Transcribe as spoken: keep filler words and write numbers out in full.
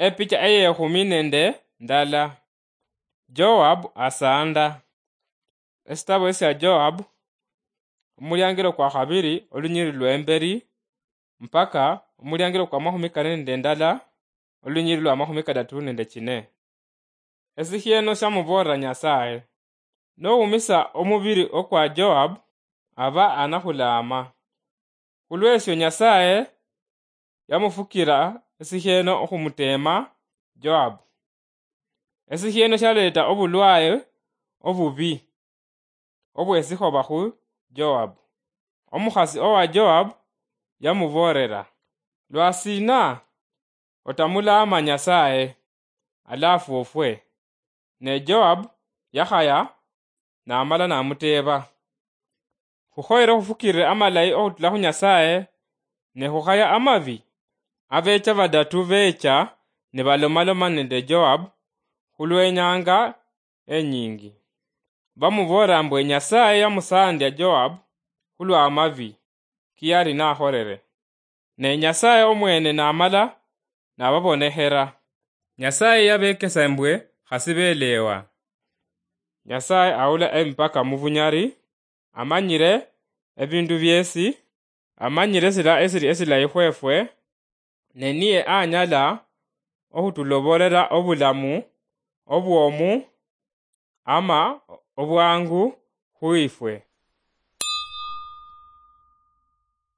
Epicha eyekhumi nende ndala. Joab asanda. Esitabo esya Joab, omuliangilo kwa khabiri, olunyiriri lwemberi, mpaka omuliangilo kwa makhumi kane nende ndala, olunyiriri lwa makhumi kadatu nende chine. Esikhieno syamuboolera Nyasaye, "Nowumisa omubiri okwa Joab, aba anakhulaama." Khulwesyo Nyasaye yamufukira esikhieno okhumuteema Joab. Esikhieno syaleeta obulwaye obubi obwesikhoba khu Joab. Omukhasi owa Joab yamuboolera, "Lwasiina otamulaama Nyasaye, alafu ofwe?" Ne Joab yakhaya, namala namuteeba, "Khukhoyere khufukirire amalayi okhutula khu Nyasaye, ne khukhaya amabi?" Abecha badatu becha nibalomaloma nende Joab khulwenyanga enyingi. Bamuboolera mbwe Nyasaye yamusandia Joab khulwa amabi kiyali nakholere. Ne Nyasaye omwene namala nababonekhera. Nyasaye yabekesa mbwe khasi belewa. Nyasaye awula emipaka mubunyali, amanyire ebindu byesi, amanyire sila esili esilayi khwefwe, ne niye anyala okhutulobolela obulamu obwomu ama obwangu khwifwe.